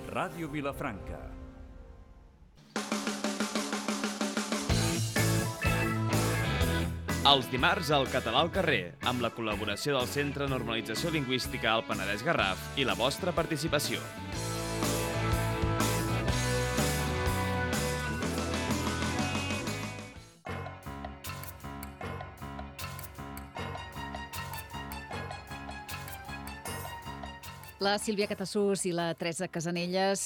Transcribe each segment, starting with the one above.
Ràdio Vilafranca. Els dimarts al Català al carrer, amb la col·laboració del Centre de Normalització Lingüística al Penedès Garraf i la vostra participació. La Sílvia Catassús i la Teresa Casanelles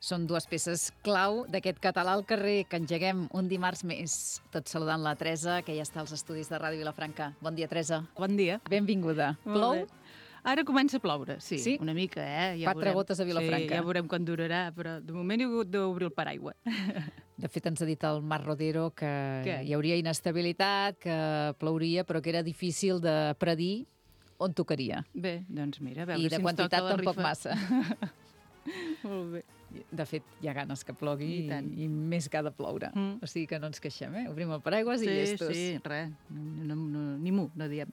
són dues peces clau d'aquest Català al carrer que engeguem un dimarts més. Tot saludant la Teresa, que ja està als estudis de Ràdio Vilafranca. Bon dia, Teresa. Bon dia. Benvinguda. Plou? Ara comença a ploure, sí, Sí? una mica, Ja 4 gotes a Vilafranca. Sí, ja veurem quan durarà, però de moment he hagut d'obrir el paraigua. De fet, ens ha dit el Marc Rodero que Què? hi hauria inestabilitat, que plouria, però que era difícil de predir on tocaria. Bé, doncs mira, a veure I de si ens quantitat toca la tampoc rifa. massa. Molt bé. De fet, hi ha ganes que plogui I tant. i més que ha de ploure. Mm. O sigui que no ens queixem, Obrim el paraigües i llestos. Sí, res, ni mu, no diem.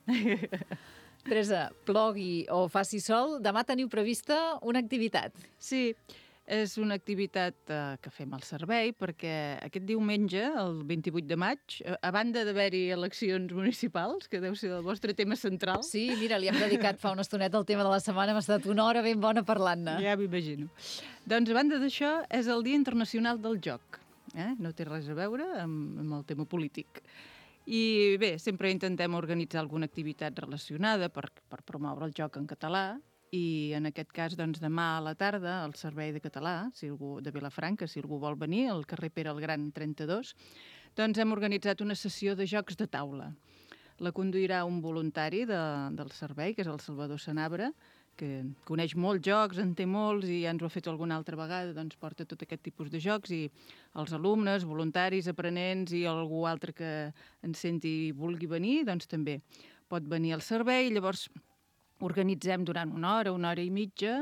Teresa, plogui o faci sol, demà teniu prevista una activitat. Sí, és una activitat que fem al servei perquè aquest diumenge, el 28 de maig, a banda d'haver-hi eleccions municipals, que deu ser el vostre tema central, Sí, mira, li hem dedicat fa una estoneta el tema de la setmana, hem estat una hora ben bona parlant-ne. ja m'imagino. Doncs, a banda d'això, és el Dia Internacional del Joc. No té res a veure amb el tema polític. I bé, sempre intentem organitzar alguna activitat relacionada per promoure el joc en català i en aquest cas, doncs, demà a la tarda, al Servei de Català, si algú de Vilafranca, si algú vol venir, al carrer Pere el Gran 32, doncs hem organitzat una sessió de jocs de taula. La conduirà un voluntari del servei, que és el Salvador Sanabra, que coneix molts jocs, en té molts i ja ens ho ha fet alguna altra vegada, doncs porta tot aquest tipus de jocs i els alumnes, voluntaris, aprenents i algú altre que ens senti i vulgui venir, doncs també pot venir al servei. Llavors organitzem durant una hora i mitja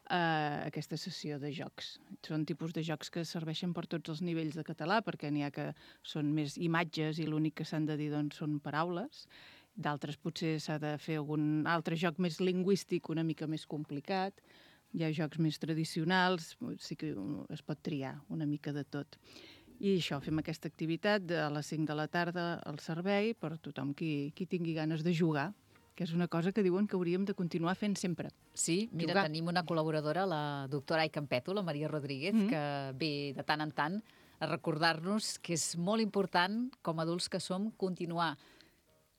aquesta sessió de jocs. Són tipus de jocs que serveixen per tots els nivells de català, perquè n'hi ha que són més imatges i l'únic que s'han de dir doncs, són paraules. D'altres potser s'ha de fer algun altre joc més lingüístic, una mica més complicat. Hi ha jocs més tradicionals, sí que es pot triar una mica de tot. I això, fem aquesta activitat a les 5 de la tarda al servei per tothom qui tingui ganes de jugar, que és una cosa que diuen que hauríem de continuar fent sempre. Sí, mira, Jugar. tenim una col·laboradora, la doctora Ai Campeto, la Maria Rodríguez, que ve de tant en tant a recordar-nos que és molt important, com a adults que som, continuar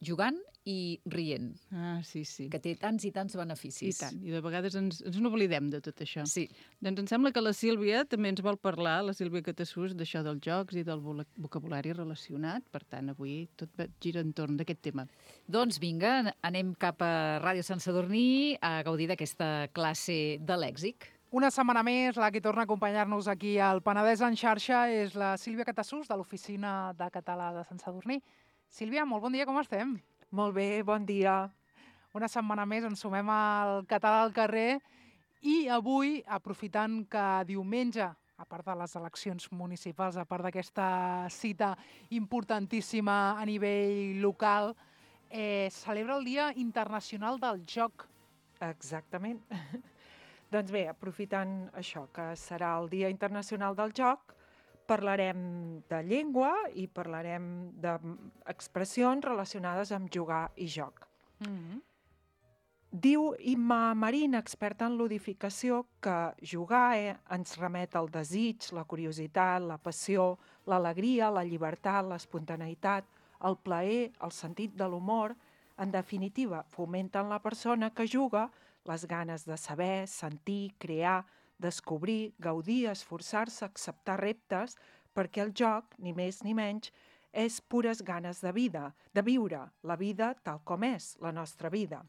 jugant i rient, Ah, sí. que té tants i tants I beneficis. tant, i de vegades ens n'oblidem de tot això. Sí. Doncs em sembla que la Sílvia també ens vol parlar, la Sílvia Catassús, d'això dels jocs i del vocabulari relacionat. Per tant, avui tot gira entorn d'aquest tema. Doncs vinga, anem cap a Ràdio Sant Sadurní a gaudir d'aquesta classe de lèxic. Una setmana més, la que torna a acompanyar-nos aquí al Penedès en xarxa és la Sílvia Catassús, de l'Oficina de Català de Sant Sadurní. Sílvia, molt bon dia, com estem? Molt bé, bon dia. Una setmana més ens sumem al Català al carrer i avui, aprofitant que diumenge, a part de les eleccions municipals, a part d'aquesta cita importantíssima a nivell local, celebra el Dia Internacional del Joc. Exactament. Doncs bé, aprofitant això, que serà el Dia Internacional del Joc, parlarem de llengua i parlarem d'expressions relacionades amb jugar i joc. Diu Imma Marín, experta en ludificació, que jugar ens remet al desig, la curiositat, la passió, l'alegria, la llibertat, l'espontaneïtat, el plaer, el sentit de l'humor. En definitiva, fomenten la persona que juga les ganes de saber, sentir, crear, descobrir, gaudir, esforçar-se, acceptar reptes, perquè el joc, ni més ni menys, és pures ganes de vida, de viure la vida tal com és, la nostra vida.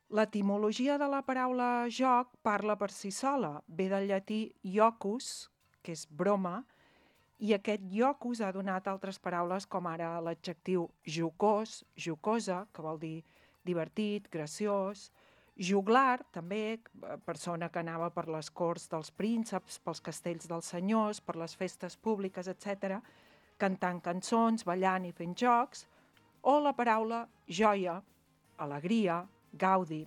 L'etimologia de la paraula joc parla per si sola, ve del llatí iocus, que és broma, i aquest iocus ha donat altres paraules com ara l'adjectiu jocós, jocosa, que vol dir divertit, graciós, juglar, també, persona que anava per les corts dels prínceps, pels castells dels senyors, per les festes públiques, etc., cantant cançons, ballant i fent jocs, o la paraula joia, alegria, gaudi.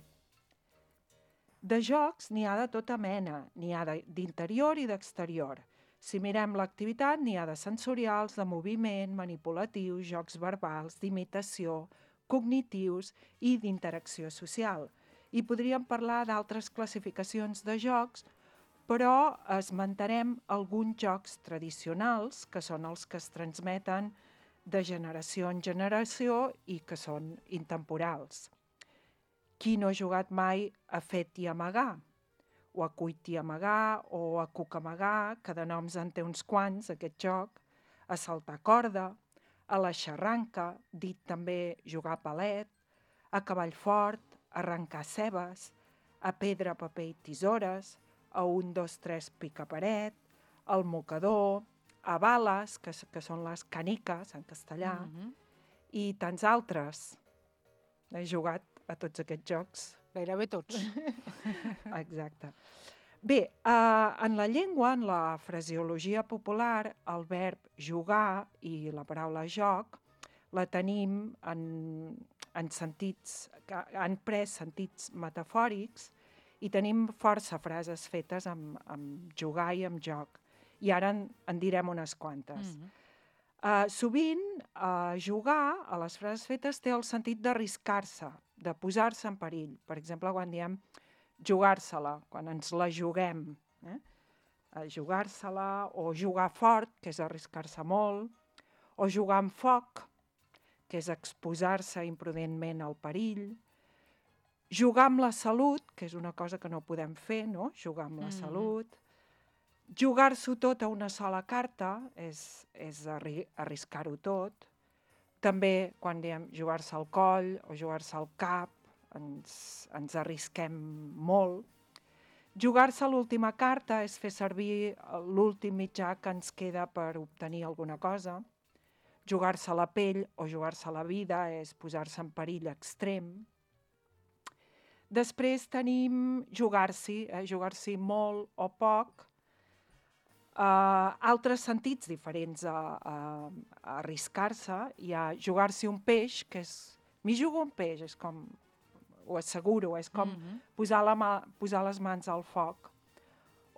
De jocs n'hi ha de tota mena, n'hi ha d'interior i d'exterior. Si mirem l'activitat, n'hi ha de sensorials, de moviment, manipulatius, jocs verbals, d'imitació, cognitius i d'interacció social. I podríem parlar d'altres classificacions de jocs, però esmentarem alguns jocs tradicionals, que són els que es transmeten de generació en generació i que són intemporals. Qui no ha jugat mai a Fet i Amagar? O a Cuit i Amagar, o a Cucamagar, que de noms en té uns quants, aquest joc, a saltar corda, a la xarranca, dit també jugar a palet, a cavall fort, a arrencar cebes, a pedra, paper i tisores, a 1, 2, 3 picaparet, al mocador, a bales, que són les caniques en castellà, i tants altres. He jugat a tots aquests jocs. Gairebé tots. Exacte. Bé, en la llengua, en la fraseologia popular, el verb jugar i la paraula joc la tenim en sentits, que han pres sentits metafòrics i tenim força frases fetes amb jugar i amb joc. I ara en direm unes quantes. Sovint, jugar, a les frases fetes, té el sentit d'arriscar-se, de posar-se en perill. Per exemple, quan diem jugar-se-la, quan ens la juguem. Jugar-se-la, o jugar fort, que és arriscar-se molt, o jugar amb foc, que és exposar-se imprudentment al perill, jugar amb la salut, que és una cosa que no podem fer, no? Jugar amb la salut. Jugar-s'ho tot a una sola carta és arriscar-ho tot. També quan diem jugar-se al coll o jugar-se al cap, ens arrisquem molt. Jugar-se a l'última carta és fer servir l'últim mitjà que ens queda per obtenir alguna cosa. Jugar-se a la pell o jugar-se a la vida és posar-se en perill extrem. Després tenim jugar-s'hi, jugar-s'hi molt o poc. Altres sentits diferents a arriscar-se. Hi ha jugar-s'hi un peix, que és... M'hi jugo un peix, és com... Ho asseguro, és com posar les mans al foc.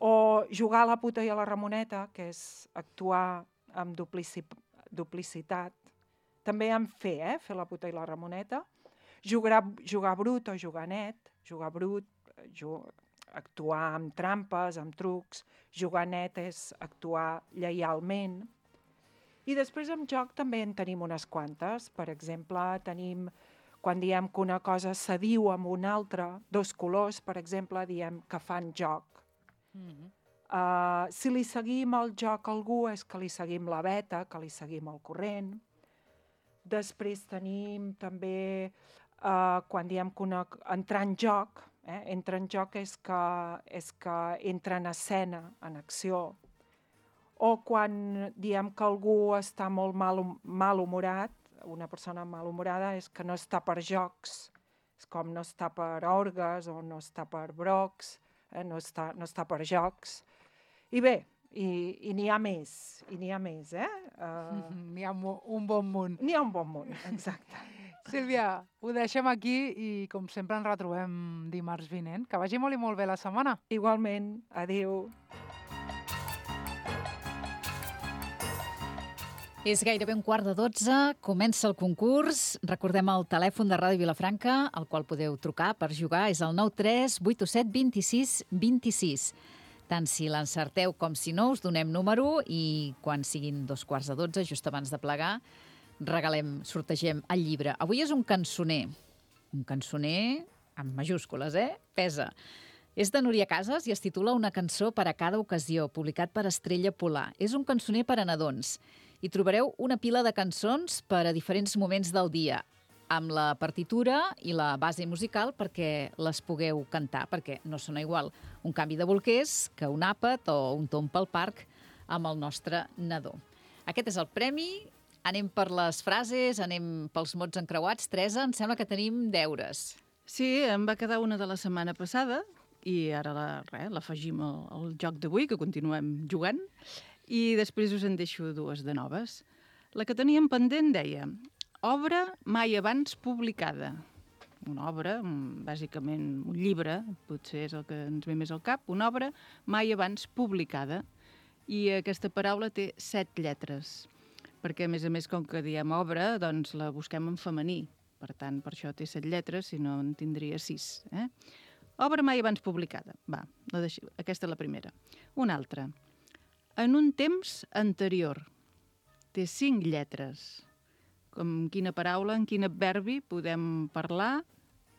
O jugar a la puta i a la Ramoneta, que és actuar amb duplicitat. També en fer la puta i la Ramoneta. Jugar brut o jugar net. Jugar brut, actuar amb trampes, amb trucs. Jugar net és actuar lleialment. I després amb joc també en tenim unes quantes. Per exemple, tenim... Quan diem que una cosa se diu amb una altra, dos colors, per exemple, diem que fan joc. Si li seguim el joc a algú és que li seguim la veta, que li seguim el corrent. Després tenim també, quan diem que entrar en joc, entrar en joc és que entra en escena, en acció. O quan diem que algú està molt malhumorat, una persona malhumorada és que no està per jocs, és com no està per orgues o no està per brocs, no està per jocs. I bé, i n'hi ha més, N'hi ha un bon munt. N'hi ha un bon munt, exacte. Sílvia, ho deixem aquí i com sempre ens retrobem dimarts vinent. Que vagi molt i molt bé la setmana. Igualment, adéu. És gairebé 11:15, comença el concurs. Recordem el telèfon de Ràdio Vilafranca, al qual podeu trucar per jugar, és el 93 827 26 26. Tant si l'encerteu com si no, us donem número i quan siguin 11:45, just abans de plegar, sortegem el llibre. Avui és un cançoner amb majúscules, pesa. És de Núria Casas i es titula Una cançó per a cada ocasió, publicat per Estrella Polar. És un cançoner per a nadons. Hi trobareu una pila de cançons per a diferents moments del dia, amb la partitura i la base musical perquè les pugueu cantar, perquè no sona igual un canvi de bolquers que un àpat o un tomb pel parc amb el nostre nadó. Aquest és el premi. Anem per les frases, anem pels mots encreuats. Teresa, em sembla que tenim deures. Sí, em va quedar una de la setmana passada i ara l'afegim al joc d'avui, que continuem jugant. I després us en deixo dues de noves. La que teníem pendent deia: obra mai abans publicada. una obra, bàsicament un llibre, potser és el que ens ve més al cap, una obra mai abans publicada. I aquesta paraula té 7 lletres, perquè, a més, com que diem obra, doncs la busquem en femení. Per tant, per això té 7 lletres, si no en tindria 6. Obra mai abans publicada. Va, aquesta és la primera. Una altra. En un temps anterior. Té 5 lletres. Com quina paraula, en quin adverbi podem parlar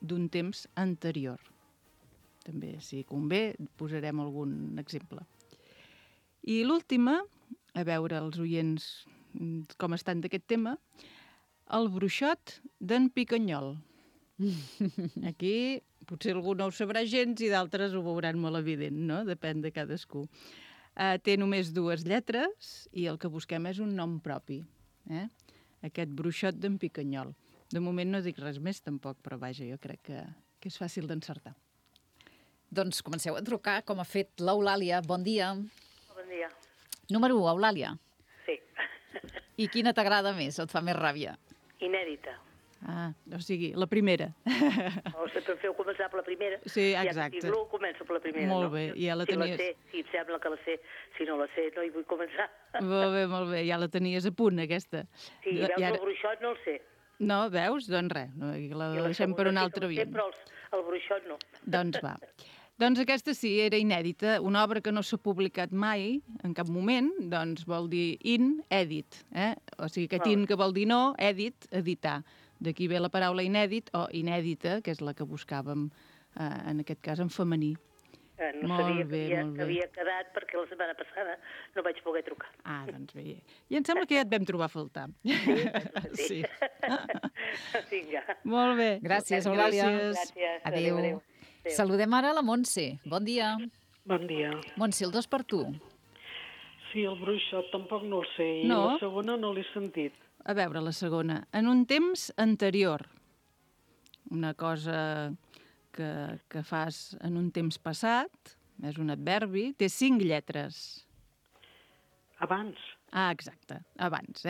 d'un temps anterior. També, si convé, posarem algun exemple. I l'última, a veure els oients com estan d'aquest tema, el bruixot d'en Picanyol. Aquí potser algú no ho sabrà gens i d'altres ho veuran molt evident, no? Depèn de cadascú. Té només 2 lletres i el que busquem és un nom propi. Aquest bruixot d'en Picanyol. De moment no dic res més tampoc, però vaja, jo crec que és fàcil d'encertar. Doncs comenceu a trucar, com ha fet l'Eulàlia. Bon dia. Bon dia. Número 1, Eulàlia. Sí. I quina t'agrada més o et fa més ràbia? Inèdita. O sigui, la primera. O sempre em feu començar per la primera. Sí, exacte. Ja que tinc començo per la primera. Molt bé, ja la tenies... Si la sé, si em sembla que la sé. Si no la sé, no hi vull començar. Molt bé, ja la tenies a punt, aquesta. Sí, veus, el bruixot no el sé. No, veus? Doncs res, la deixem per un altre dia. dia. Però el bruixot no. Doncs va. Doncs aquesta sí, era inèdita, una obra que no s'ha publicat mai, en cap moment, doncs vol dir inèdit. O sigui, aquest in que vol dir no, èdit, editar. D'aquí ve la paraula inèdit o inèdita, que és la que buscàvem, en aquest cas, en femení. No sabia que havia quedat perquè la setmana passada no vaig poder trucar. Doncs bé. I em sembla que ja et vam trobar a faltar. Sí. Vinga. Molt bé. Gràcies, Eulàlia. Gràcies. Adéu. Saludem ara la Montse. Bon dia. Bon dia. Montse, el 2 per tu. Sí, el bruixot tampoc no el sé, i No? la segona no l'he sentit. A veure, la segona. En un temps anterior. Una cosa que fas en un temps passat, és un adverbi, té 5 lletres. Abans. Exacte, abans,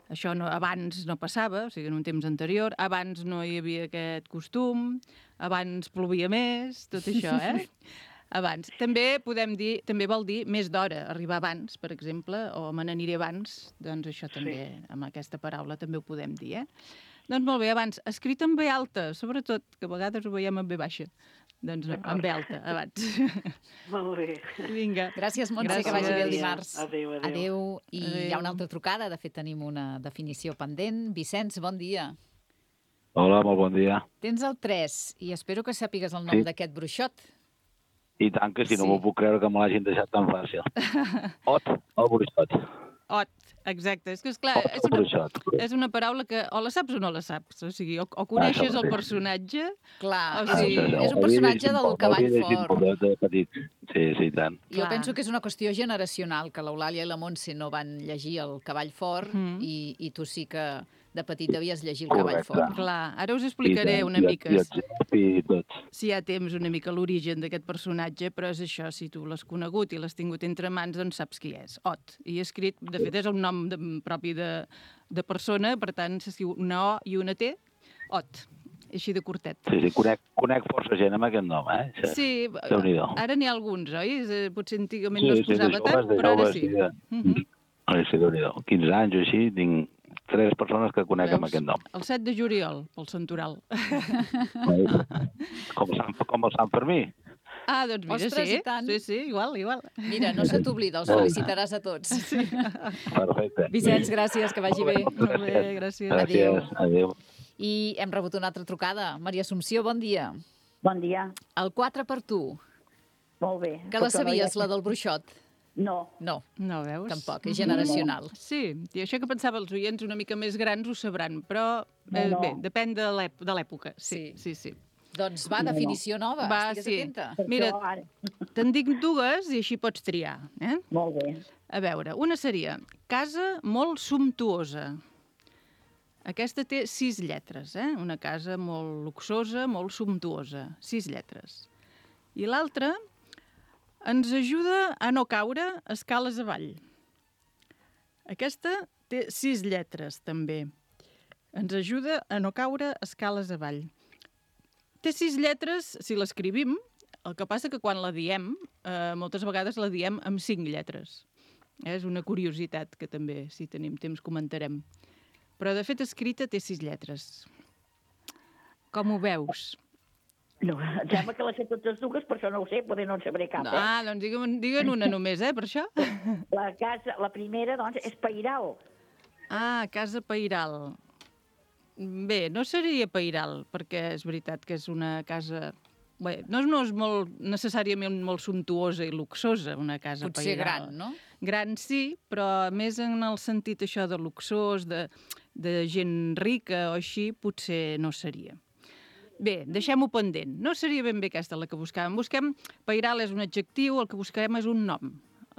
Això no, abans no passava, o sigui, en un temps anterior, abans no hi havia aquest costum, abans plovia més, tot això, Abans. També podem dir, també vol dir més d'hora, arribar abans, per exemple, o me n'aniré abans, doncs això també, amb aquesta paraula també ho podem dir, Doncs molt bé, abans, escrit en B alta, sobretot, que a vegades ho veiem en B baixa. Doncs no, en B alta, abans. Molt bé. Vinga. Gràcies, Montse, que vagi bé el dimarts. Adéu. Adéu. I hi ha una altra trucada, de fet tenim una definició pendent. Vicenç, bon dia. Hola, molt bon dia. Tens el 3 i espero que sàpigues el nom d'aquest bruixot. I tant que si no m'ho puc creure que me l'hagin deixat tan fàcil. Ot, el bruixot. Ot, exacte. És que, esclar, és una paraula que o la saps o no la saps. O sigui, o coneixes el personatge... Clar, o sigui, és un personatge del Cavall Fort. Sí, tant. Jo penso que és una qüestió generacional, que l'Eulàlia i la Montse no van llegir el Cavall Fort i tu sí que de petit devies llegir el Cavall Fort. Clar, ara us explicaré una mica, si hi ha temps, una mica l'origen d'aquest personatge, però és això, si tu l'has conegut i l'has tingut entre mans, doncs saps qui és. Ot. I escrit, de fet, és un nom propi de persona, per tant, s'escriu una O i una T, Ot. Així de curtet. Sí, conec força gent amb aquest nom, Sí, ara n'hi ha alguns, oi? Potser antigament no es posava tant, però ara sí. Sí, Déu-n'hi-do. 15 anys o així, tinc 3 persones que conec amb aquest nom. El 7 de juliol, pel Santoral. Com el Sant Fermí. Doncs mira, ostres, i tant. Sí, igual. Mira, no se t'oblida, els felicitaràs a tots. Perfecte. Vicenç, gràcies, que vagi bé. Molt bé, gràcies. Adéu. I hem rebut una altra trucada. Maria Assumpció, bon dia. Bon dia. El 4 per tu. Molt bé. Que la sabies, la del bruixot? No. No, veus? tampoc, és generacional. Sí, i això que pensava els oients una mica més grans ho sabran, però bé, depèn de l'època. Sí. Doncs va, definició nova, estigues atenta. Mira, te'n dic 2 i així pots triar. Molt bé. A veure, una seria casa molt sumptuosa. Aquesta té 6 lletres, una casa molt luxosa, molt sumptuosa. 6 lletres. I l'altra ens ajuda a no caure escales avall. Aquesta té 6 lletres, també. Ens ajuda a no caure escales avall. Té 6 lletres si l'escrivim, el que passa que quan la diem, moltes vegades la diem amb 5 lletres. És una curiositat que també, si tenim temps, comentarem. Però, de fet, escrita té 6 lletres. Com ho veus? No, em sembla que les sé totes dues, per això no ho sé, potser no en sabré cap. Doncs digue'n una només, per això. La primera, doncs, és Pairal. Casa Pairal. Bé, no seria Pairal, perquè és veritat que és una casa... Bé, no és molt, necessàriament molt sumptuosa i luxosa, una casa Pairal. Potser gran, no? Gran sí, però més en el sentit això de luxós, de gent rica o així, potser no seria. Bé, deixem-ho pendent. No seria ben bé aquesta la que buscàvem. Pairal és un adjectiu, el que buscarem és un nom,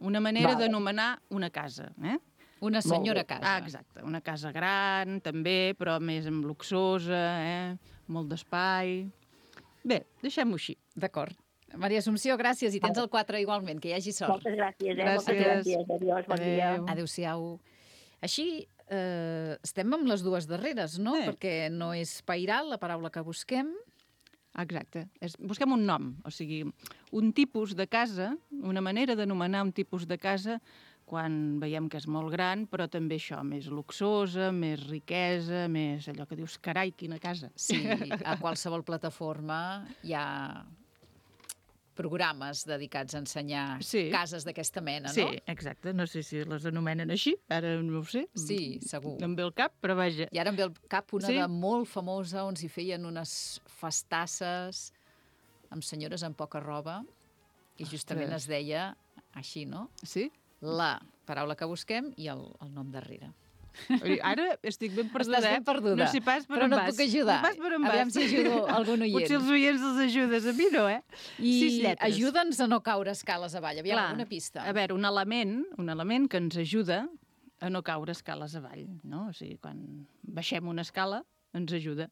una manera d'anomenar una casa. Una senyora casa. Exacte, una casa gran, també, però més luxosa, molt d'espai... Bé, deixem-ho així. D'acord. Maria Assumpció, gràcies, i tens el 4 igualment, que hi hagi sort. Moltes gràcies, moltes gràcies. Adiós, bon dia. Adéu-siau. Així, estem amb les dues darreres, no? Perquè no és Pairal, la paraula que busquem. Exacte. Busquem un nom, o sigui, un tipus de casa, una manera d'anomenar un tipus de casa quan veiem que és molt gran, però també això, més luxosa, més riquesa, més allò que dius, carai, quina casa. Sí, a qualsevol plataforma hi ha programes dedicats a ensenyar cases d'aquesta mena, no? Sí, exacte. No sé si les anomenen així, ara no ho sé. Sí, segur. Em ve el cap, però vaja. I ara em ve al cap una de molt famosa on s'hi feien unes festasses amb senyores amb poca roba i justament es deia així, no? Sí? La paraula que busquem i el nom darrere. Ara estic ben perduda. Estàs ben perduda. No sé pas per però on no vas. puc ajudar. No pas per on vas. Aviam si ajudo algun oient. Potser els oients els ajudes, a mi no, I 6 lletres. ajuda'ns a no caure escales avall. Aviam, alguna pista. A veure, un element que ens ajuda a no caure escales avall, no? O sigui, quan baixem una escala, ens ajuda.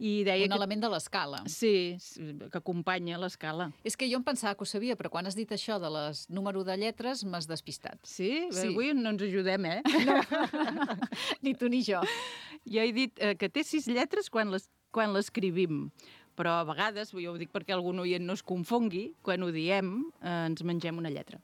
I deia element de l'escala. Sí, que acompanya l'escala. És que jo em pensava que ho sabia, però quan has dit això de les número de lletres m'has despistat. Sí? Avui no ens ajudem, No. Ni tu ni jo. Jo he dit que té 6 lletres quan l'escrivim, però a vegades, jo ho dic perquè algun oient no es confongui, quan ho diem ens mengem una lletra.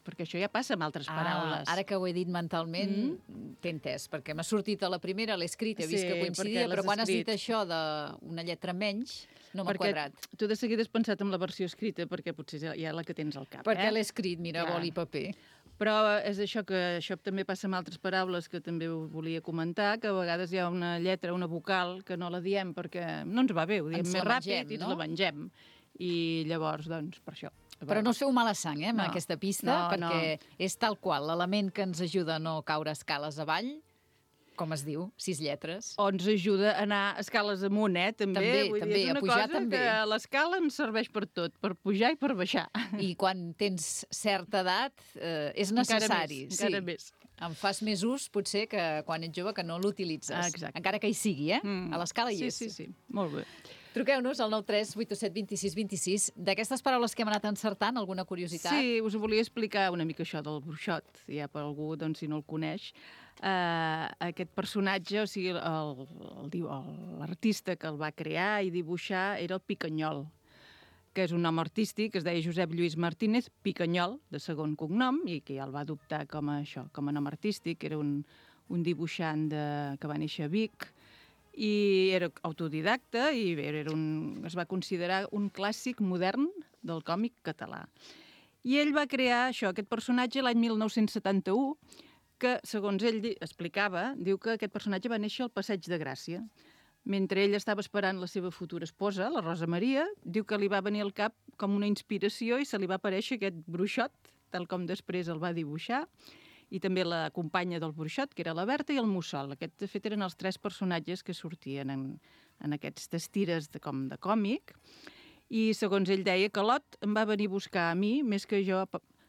Perquè això ja passa amb altres paraules. Ara que ho he dit mentalment, t'he entès, perquè m'ha sortit a la primera, l'he escrit, he vist que coincidia, però quan has dit això d'una lletra menys, no m'ha quadrat. Tu de seguida has pensat en la versió escrita, perquè potser ja la que tens al cap. Perquè l'he escrit, mira, boli i paper. Però és això que això també passa amb altres paraules que també ho volia comentar, que a vegades hi ha una lletra, una vocal, que no la diem perquè no ens va bé, ho diem més ràpid i ens la mengem. I llavors, doncs, per això. Però no us feu mala sang, amb aquesta pista, perquè és tal qual l'element que ens ajuda a no caure escales avall, com es diu, 6 lletres. O ens ajuda a anar escales amunt, també. També, a pujar també. Que l'escala ens serveix per tot, per pujar i per baixar. I quan tens certa edat és necessari. Encara més. En fas més ús, potser, que quan ets jove, que no l'utilitzes. Exacte. Encara que hi sigui, A l'escala hi és. Sí, molt bé. Truqueu-nos al 93 827 26 26. D'aquestes paraules que hem anat encertant, alguna curiositat? Sí, us volia explicar una mica això del bruixot, ja per algú, doncs, si no el coneix. Aquest personatge, o sigui, l'artista que el va crear i dibuixar era el Picanyol, que és un nom artístic, es deia Josep Lluís Martínez Picanyol, de segon cognom, i que ja el va adoptar com a nom artístic. Era un dibuixant que va néixer a Vic, i era autodidacta i es va considerar un clàssic modern del còmic català. I ell va crear aquest personatge l'any 1971, que, segons ell explicava, diu que aquest personatge va néixer al Passeig de Gràcia. Mentre ell estava esperant la seva futura esposa, la Rosa Maria, diu que li va venir al cap com una inspiració i se li va aparèixer aquest bruixot, tal com després el va dibuixar, i també la companya del bruixot, que era la Berta, i el Mussol. Aquests, de fet, eren els 3 personatges que sortien en aquestes tires de còmic. I, segons ell deia, que Lot em va venir a buscar a mi, més que jo,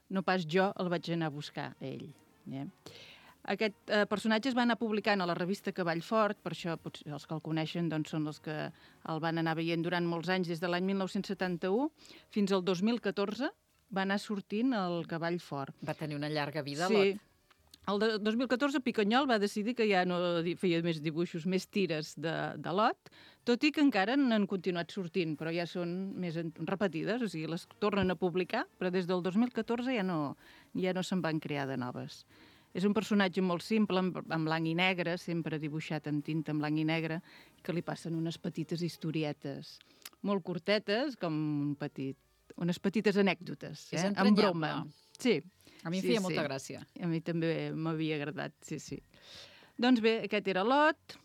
no pas jo el vaig anar a buscar a ell. Aquest personatge es va anar publicant a la revista Cavall Fort, per això potser els que el coneixen són els que el van anar veient durant molts anys, des de l'any 1971 fins al 2014, va anar sortint el Cavall Fort. Va tenir una llarga vida, sí. Lot. El 2014 Picanyol va decidir que ja no feia més dibuixos, més tires de lot, tot i que encara n'han continuat sortint, però ja són més repetides, o sigui, les tornen a publicar, però des del 2014 ja no se'n van crear de noves. És un personatge molt simple, en blanc i negre, sempre dibuixat en tinta en blanc i negre, que li passen unes petites historietes molt curtetes, com unes petites anècdotes, amb broma. Sí. A mi em feia molta gràcia. A mi també m'havia agradat, sí. Doncs bé, aquest era l'Ot,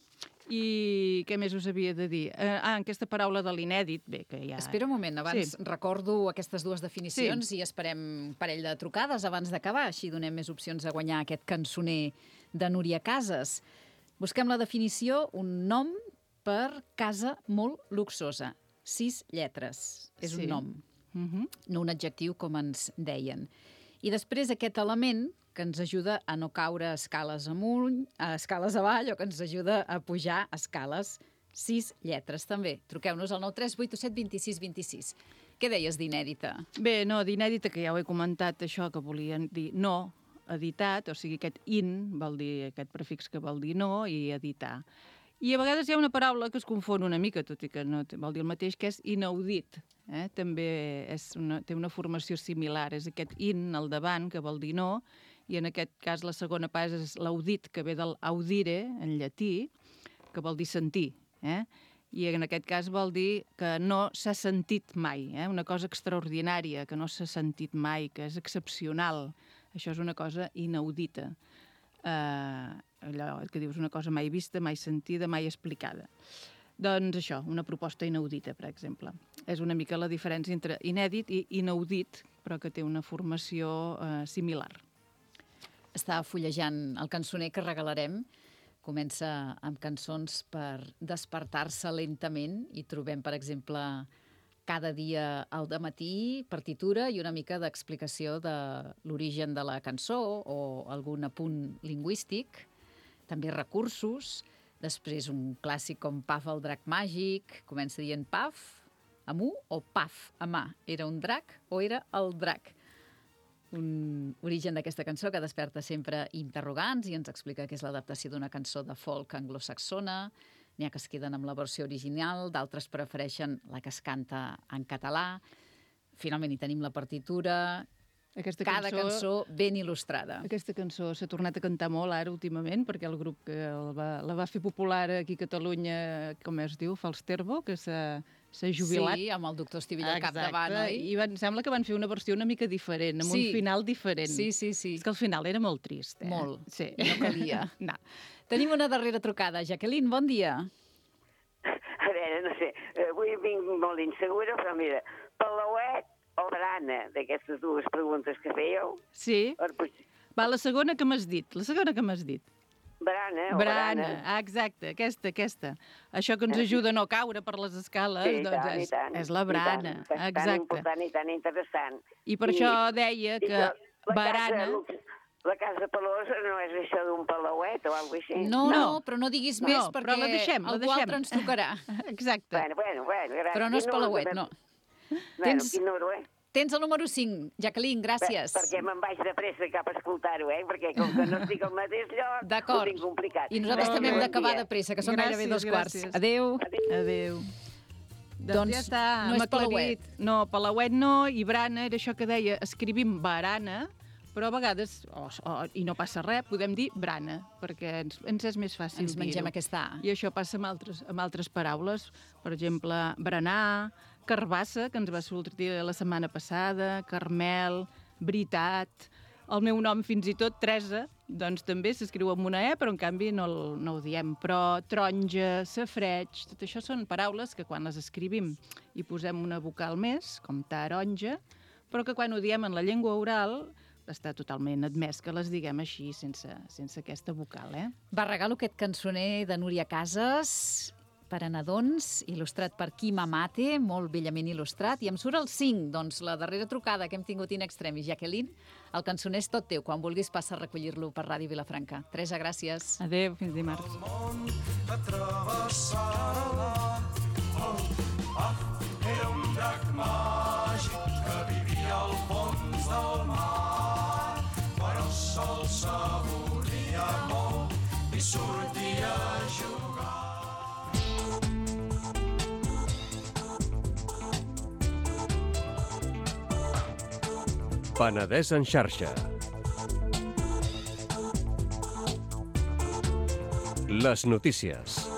i què més us havia de dir? Aquesta paraula de l'inèdit, bé, que ja... Espera un moment, abans recordo aquestes dues definicions i esperem un parell de trucades abans d'acabar, així donem més opcions a guanyar aquest cançoner de Núria Casas. Busquem la definició, un nom per casa molt luxosa. 6 lletres. És un nom, no un adjectiu com ens deien. I després aquest element que ens ajuda a no caure escales amunt, escales avall, o que ens ajuda a pujar escales. 6 lletres, també. Truqueu-nos al 93887 26 26. Què deies d'inèdita? Bé, no, d'inèdita, que ja ho he comentat, això que volien dir no, editat, o sigui, aquest in vol dir aquest prefix que vol dir no, i editar. I a vegades hi ha una paraula que es confon una mica, tot i que no vol dir el mateix, que és inaudit. També té una formació similar. És aquest in al davant, que vol dir no, i en aquest cas la segona part és l'audit, que ve del audire, en llatí, que vol dir sentir. I en aquest cas vol dir que no s'ha sentit mai, una cosa extraordinària, que no s'ha sentit mai, que és excepcional. Això és una cosa inaudita. Allò que dius una cosa mai vista, mai sentida, mai explicada. Doncs això, una proposta inaudita, per exemple. És una mica la diferència entre inèdit i inaudit, però que té una formació similar. Estava fullejant el cançoner que regalarem. Comença amb cançons per despertar-se lentament i trobem, per exemple, cada dia al dematí, partitura i una mica d'explicació de l'origen de la cançó o algun apunt lingüístic. També recursos, després un clàssic com Paf el drac màgic, comença dient Paf, amb U, o Paf, amb A. Era un drac o era el drac? Un origen d'aquesta cançó que desperta sempre interrogants i ens explica que és l'adaptació d'una cançó de folk anglosaxona. N'hi ha que es queden amb la versió original, d'altres prefereixen la que es canta en català. Finalment hi tenim la partitura. Cada cançó ben il·lustrada. Aquesta cançó s'ha tornat a cantar molt ara últimament, perquè el grup que la va fer popular aquí a Catalunya, com es diu, Falsterbo, que s'ha jubilat. Sí, amb el doctor Estivella al capdavant, oi? I em sembla que van fer una versió una mica diferent, amb un final diferent. Sí. És que el final era molt trist. Molt. Sí. No calia. No. Tenim una darrera trucada. Jacqueline, bon dia. A veure, no sé, avui vinc molt insegura, però mira, Palauet o Brana, d'aquestes dues preguntes que fèieu. Sí. Va, la segona que m'has dit. Brana o Brana. Exacte, aquesta. Això que ens ajuda a no caure per les escales, doncs és la Brana. Exacte. Tan important i tan interessant. I per això deia que Brana... La casa pelosa no és això d'un palauet o alguna cosa així? No, però no diguis més perquè algú altre ens trucarà. Exacte. Bueno, gràcies. Però no és palauet, no. Tens el número 5, Jacqueline, gràcies. Perquè me'n vaig de pressa cap a escoltar-ho, perquè com que no estic al mateix lloc, ho tinc complicat. I nosaltres també hem d'acabar de pressa, que són gairebé 2:15. Adéu. Doncs ja està. No és palauet. No, palauet no, i Brana era això que deia, escrivim barana, però a vegades, i no passa res, podem dir brana, perquè ens és més fàcil dir-ho. Ens mengem aquesta A. I això passa amb altres paraules. Per exemple, berenar, carbassa, que ens va sortir la setmana passada, Carmel, veritat. El meu nom, fins i tot, Teresa, doncs també s'escriu amb una E, però en canvi no ho diem. Però taronja, safreig, tot això són paraules que quan les escrivim hi posem una vocal més, com taronja, però que quan ho diem en la llengua oral està totalment admès que les diguem així, sense aquesta vocal. Va, regalo aquest cançoner de Núria Casas per a nadons, il·lustrat per Quim Amate, molt bellament il·lustrat, i em surt el 5, doncs la darrera trucada que hem tingut in extremis. Jacqueline, el cançoner és tot teu, quan vulguis passa a recollir-lo per Ràdio Vilafranca. Teresa, gràcies. Adéu, fins dimarts. El món atravessarà, era un drac màgic que vivia al fons del mar, però sol sabor surti a jugar. Penedès en xarxa. Les notícies.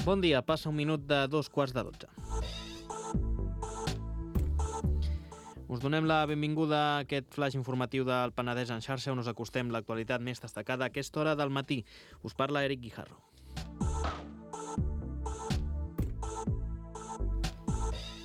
Bon dia, passa un minut de 2:15. Us donem la benvinguda a aquest flash informatiu del Penedès en xarxa, on us acostem l'actualitat més destacada a aquesta hora del matí. Us parla Eric Guijarro.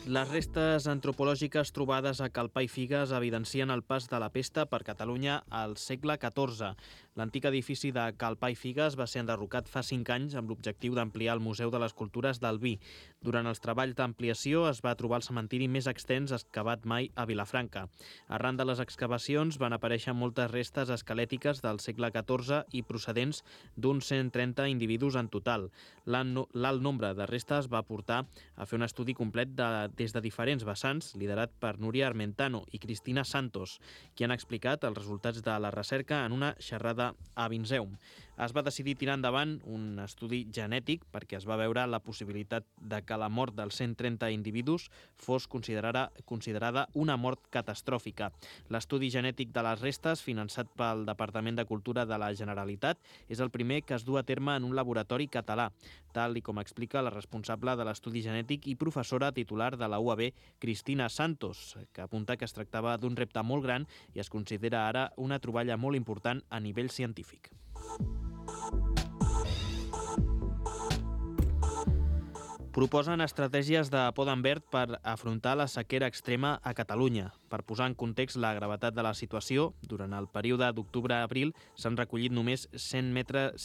Les restes antropològiques trobades a Calpà i Figues evidencien el pas de la pesta per Catalunya al segle XIV. L'antic edifici de Calpà i Figues va ser enderrocat fa 5 anys amb l'objectiu d'ampliar el Museu de les Cultures del Vi. Durant els treballs d'ampliació es va trobar el cementiri més extens excavat mai a Vilafranca. Arran de les excavacions van aparèixer moltes restes esquelètiques del segle XIV i procedents d'uns 130 individus en total. L'alt nombre de restes va portar a fer un estudi complet des de diferents vessants, liderat per Núria Armentano i Cristina Santos, qui han explicat els resultats de la recerca en una xerrada a Vinseum. Es va decidir tirar endavant un estudi genètic perquè es va veure la possibilitat de que la mort dels 130 individus fos considerada una mort catastròfica. L'estudi genètic de les restes, finançat pel Departament de Cultura de la Generalitat, és el primer que es du a terme en un laboratori català, tal i com explica la responsable de l'estudi genètic i professora titular de la UAB, Cristina Santos, que apunta que es tractava d'un repte molt gran i es considera ara una troballa molt important a nivell científic. Proposen estratègies de poden verd per afrontar la sequera extrema a Catalunya. Per posar en context la gravetat de la situació, durant el període d'octubre a abril s'han recollit només 100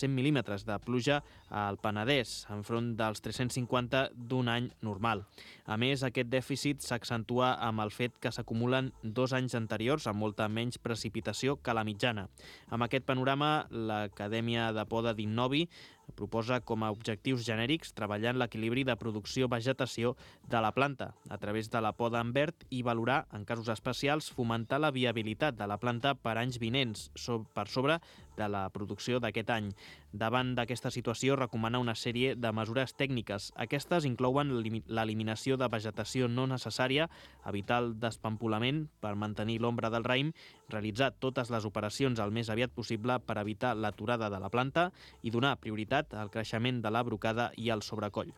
mil·límetres de pluja al Penedès, enfront dels 350 d'un any normal. A més, aquest dèficit s'accentua amb el fet que s'acumulen 2 anys anteriors amb molta menys precipitació que la mitjana. Amb aquest panorama, l'Acadèmia de Poda d'Innovi proposa com a objectius genèrics treballar en l'equilibri de producció-vegetació de la planta a través de la poda en verd i valorar, en casos especials, fomentar la viabilitat de la planta per anys vinents per sobre de la producció d'aquest any. Davant d'aquesta situació, recomana una sèrie de mesures tècniques. Aquestes inclouen l'eliminació de vegetació no necessària, evitar el despampolament per mantenir l'ombra del raïm, realitzar totes les operacions el més aviat possible per evitar l'aturada de la planta i donar prioritat al creixement de la brocada i al sobrecoll.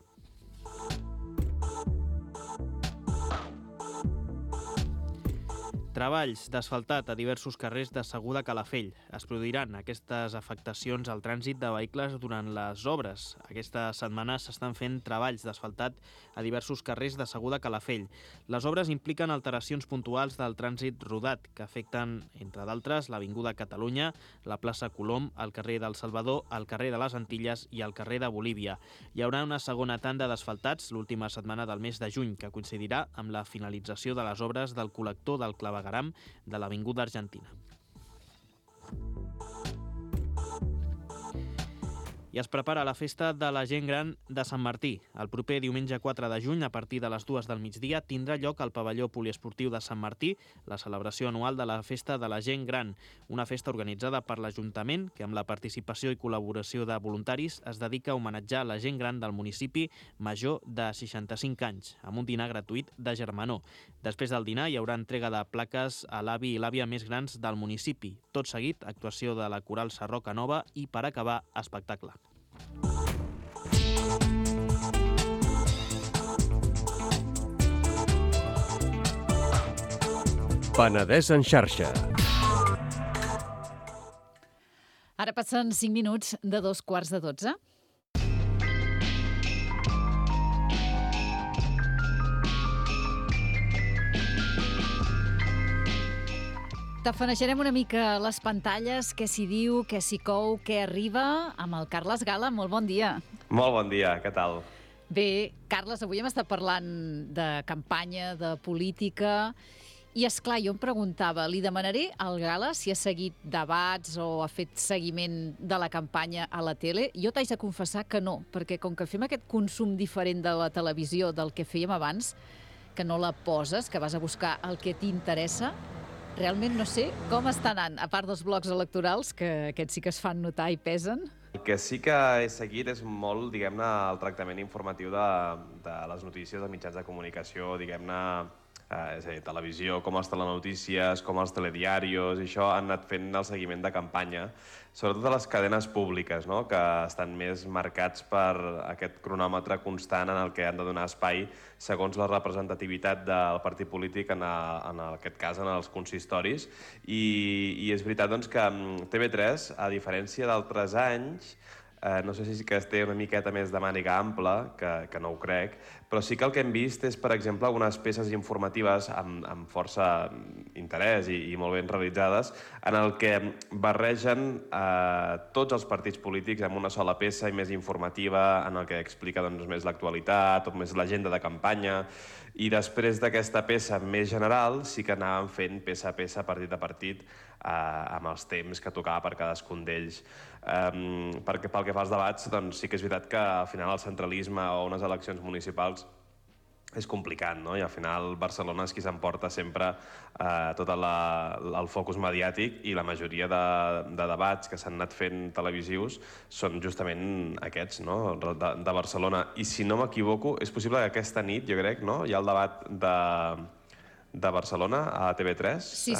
Treballs d'asfaltat a diversos carrers de Segur de Calafell. Es produiran aquestes afectacions al trànsit de vehicles durant les obres. Aquesta setmana s'estan fent treballs d'asfaltat a diversos carrers de Segur de Calafell. Les obres impliquen alteracions puntuals del trànsit rodat que afecten, entre d'altres, l'Avinguda Catalunya, la plaça Colom, el carrer del Salvador, el carrer de les Antilles i el carrer de Bolívia. Hi haurà una segona tanda d'asfaltats l'última setmana del mes de juny, que coincidirà amb la finalització de les obres del col·lector del clavegueram de l'Avinguda Argentina. I es prepara la festa de la gent gran de Sant Martí. El proper diumenge 4 de juny, a partir de les 2 del migdia, tindrà lloc al pavelló poliesportiu de Sant Martí la celebració anual de la Festa de la Gent Gran, una festa organitzada per l'Ajuntament que, amb la participació i col·laboració de voluntaris, es dedica a homenatjar la gent gran del municipi major de 65 anys, amb un dinar gratuït de germanor. Després del dinar hi haurà entrega de plaques a l'avi i l'àvia més grans del municipi. Tot seguit, actuació de la Coral Sarroca Nova i, per acabar, espectacle. Penedès en xarxa. Ara passen 5 minuts de 2:15. Tafaneixarem una mica les pantalles, què s'hi diu, què s'hi cou, què arriba, amb el Carles Gala. Molt bon dia. Molt bon dia, què tal? Bé, Carles, avui hem estat parlant de campanya, de política, i esclar, jo em preguntava, li demanaré al Gala si ha seguit debats o ha fet seguiment de la campanya a la tele. Jo t'haig de confessar que no, perquè com que fem aquest consum diferent de la televisió del que fèiem abans, que no la poses, que vas a buscar el que t'interessa, realment no sé com està anant, a part dels blocs electorals, que aquests sí que es fan notar i pesen. El que sí que he seguit és molt, diguem-ne, el tractament informatiu de les notícies de mitjans de comunicació, diguem-ne, és a dir, televisió, com els telenotícies, com els telediarios, i això han anat fent el seguiment de campanya, sobretot a les cadenes públiques, no?, que estan més marcats per aquest cronòmetre constant en el que han de donar espai segons la representativitat del partit polític, en aquest cas en els consistoris. I és veritat doncs, que TV3, a diferència d'altres anys, no sé si que es té una miqueta més de màniga ampla, que no ho crec, però sí que el que hem vist és, per exemple, algunes peces informatives amb força interès i molt ben realitzades, en el que barregen tots els partits polítics en una sola peça i més informativa, en el que explica més l'actualitat o més l'agenda de campanya. I després d'aquesta peça més general sí que anàvem fent peça a peça, partit a partit, amb els temps que tocava per cadascun d'ells. Pel que fa als debats, doncs sí que és veritat que al final el centralisme o unes eleccions municipals és complicat, no? I al final Barcelona és qui s'emporta sempre tot el focus mediàtic, i la majoria de debats que s'han anat fent televisius són justament aquests, no?, de Barcelona. I si no m'equivoco, és possible que aquesta nit, jo crec, no?, hi ha el debat de Barcelona a TV3. Sí,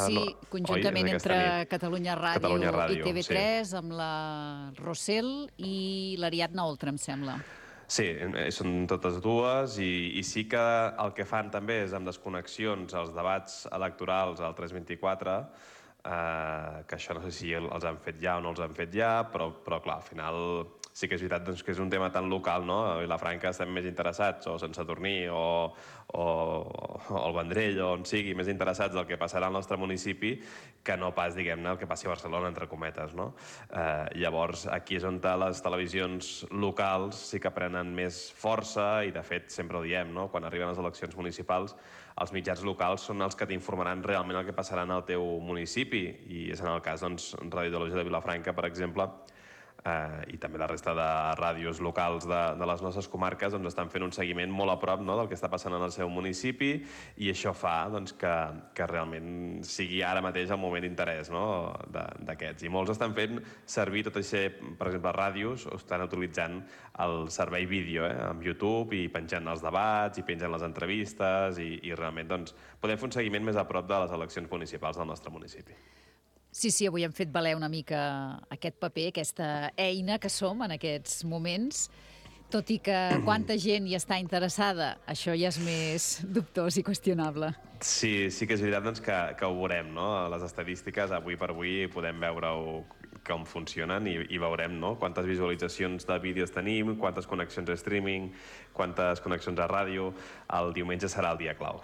conjuntament entre Catalunya Ràdio i TV3, amb la Rossell i l'Ariadna Oltra, em sembla. Sí, són totes dues, i sí que el que fan també és amb desconnexions els debats electorals al 324, que això no sé si els han fet ja o no els han fet ja, però clar, al final sí que és veritat que és un tema tan local, no? A Vilafranca estem més interessats, o Sant Sadurní, o el Vendrell, o on sigui, més interessats del que passarà al nostre municipi que no pas, diguem-ne, el que passi a Barcelona, entre cometes, no? Llavors, aquí és on les televisions locals sí que prenen més força, i de fet sempre ho diem, no?, quan arriben les eleccions municipals, els mitjans locals són els que t'informaran realment el que passarà en el teu municipi, i és en el cas, doncs, Ràdio Ideologia de Vilafranca, per exemple, i també la resta de ràdios locals de les nostres comarques estan fent un seguiment molt a prop del que està passant en el seu municipi, i això fa que realment sigui ara mateix el moment d'interès d'aquests. I molts estan fent servir tot això, per exemple, ràdios, estan utilitzant el servei vídeo amb YouTube, i penjant els debats, i penjant les entrevistes, i realment podem fer un seguiment més a prop de les eleccions municipals del nostre municipi. Sí, avui hem fet valer una mica aquest paper, aquesta eina que som en aquests moments, tot i que quanta gent hi està interessada, això ja és més dubtós i qüestionable. Sí que és veritat que ho veurem, no? Les estadístiques, avui per avui, podem veure com funcionen, i veurem quantes visualitzacions de vídeos tenim, quantes connexions a streaming, quantes connexions a ràdio. El diumenge serà el dia clau.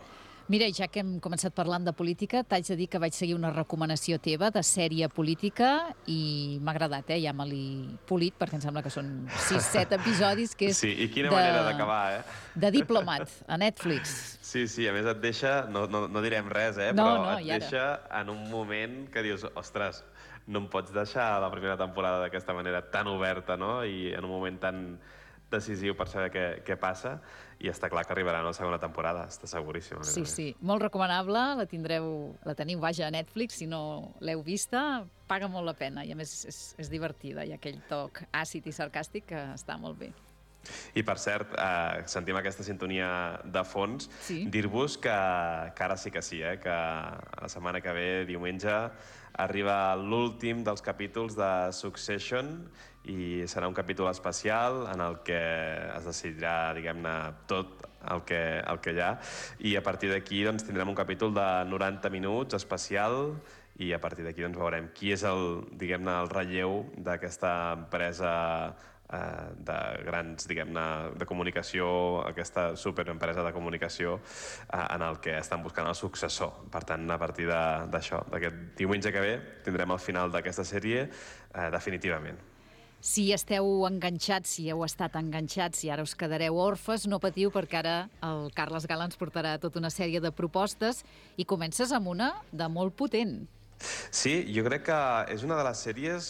Mira, ja que hem començat parlant de política, t'haig de dir que vaig seguir una recomanació teva de sèrie política, i m'ha agradat, ja me l'he polit, perquè em sembla que són 6-7 episodis, que és... Sí, i quina manera d'acabar, de Diplomat, a Netflix. Sí, a més et deixa, no direm res, però et deixa en un moment que dius, ostres, no em pots deixar la primera temporada d'aquesta manera tan oberta, no?, i en un moment tan decisiu per saber què passa, i està clar que arribarà una segona temporada, està seguríssim. Sí, molt recomanable, la teniu, vaja, a Netflix, si no l'heu vista, paga molt la pena, i a més és divertida, hi ha aquell toc àcid i sarcàstic que està molt bé. I per cert, sentim aquesta sintonia de fons, dir-vos que ara sí que sí, que la setmana que ve, diumenge, arriba l'últim dels capítols de Succession, i serà un capítol especial en el que es decidirà, diguem-ne, tot el que hi ha, i a partir d'aquí tindrem un capítol de 90 minuts especial, i a partir d'aquí veurem qui és el relleu d'aquesta empresa de grans, diguem-ne, de comunicació, aquesta superempresa de comunicació en el que estan buscant el successor. Per tant, a partir d'això, d'aquest diumenge que ve, tindrem el final d'aquesta sèrie definitivament. Si esteu enganxats, si heu estat enganxats i ara us quedareu orfes, no patiu, perquè ara el Carles Gala ens portarà tota una sèrie de propostes, i comences amb una de molt potent. Sí, jo crec que és una de les sèries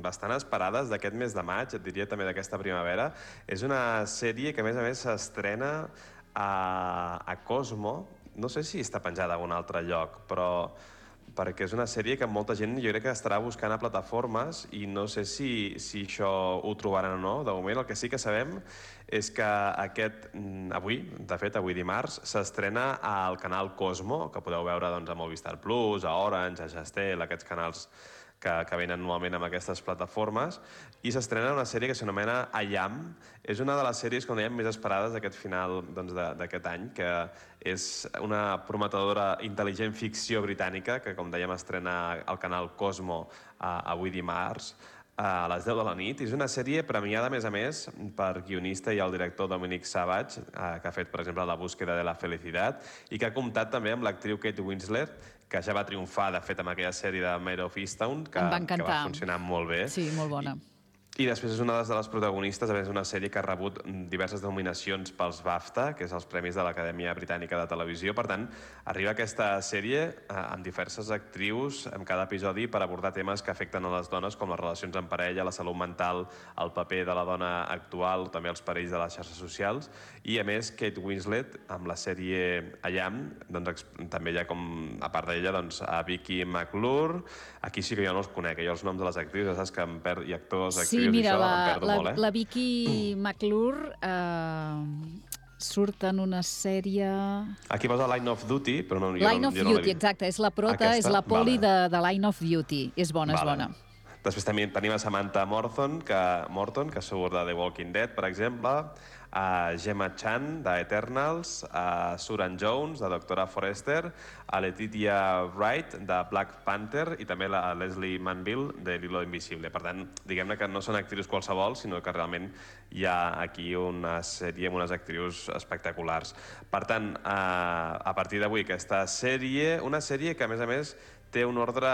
bastant esperades d'aquest mes de maig, et diria també d'aquesta primavera. És una sèrie que, a més s'estrena a Cosmo, no sé si està penjada a un altre lloc, però perquè és una sèrie que molta gent jo crec que estarà buscant a plataformes i no sé si això ho trobaran o no. De moment el que sí que sabem és que avui dimarts, s'estrena al canal Cosmo, que podeu veure a Movistar Plus, a Orange, a Jastel, aquests canals que venen normalment amb aquestes plataformes, i s'estrena una sèrie que s'anomena I Am. És una de les sèries, com dèiem, més esperades d'aquest final d'aquest any, que és una prometedora intel·ligent ficció britànica que, com dèiem, estrena al canal Cosmo avui dimarts a les 10 de la nit. És una sèrie premiada, a més, per guionista i el director Dominic Savage, que ha fet, per exemple, La búsqueda de la felicitat, i que ha comptat també amb l'actriu Kate Winslet, que ja va triomfar, de fet, amb aquella sèrie de Mare of Easttown, que va funcionar molt bé. Sí, molt bona. I després és una de les protagonistes, a més, d'una sèrie que ha rebut diverses nominacions pels BAFTA, que és els Premis de l'Acadèmia Britànica de Televisió. Per tant, arriba aquesta sèrie amb diverses actrius en cada episodi per abordar temes que afecten a les dones, com les relacions en parella, la salut mental, el paper de la dona actual, també els perills de les xarxes socials. I, a més, Kate Winslet, amb la sèrie I Am, també hi ha, a part d'ella, a Vicky McClure. Aquí sí que jo no els conec, jo els noms de les actrius, ja saps que em perdo, i actors, actrius, sí, mira, i això em perdo molt, la Vicky McClure surt en una sèrie... Aquí posa Line of Duty, però no... Line of Duty, exacte, és la prota, és la poli de Line of Duty. És bona, és bona. Després també tenim a Samantha Morton, que surt de The Walking Dead, per exemple, a Gemma Chan, d'Eternals, a Suran Jones, de Doctora Forrester, a Letitia Wright, de Black Panther, i també a Leslie Manville, de L'Hilo Invisible. Per tant, diguem-ne que no són actrius qualsevol, sinó que realment hi ha aquí una sèrie amb unes actrius espectaculars. Per tant, a partir d'avui, aquesta sèrie, una sèrie que, a més, té un ordre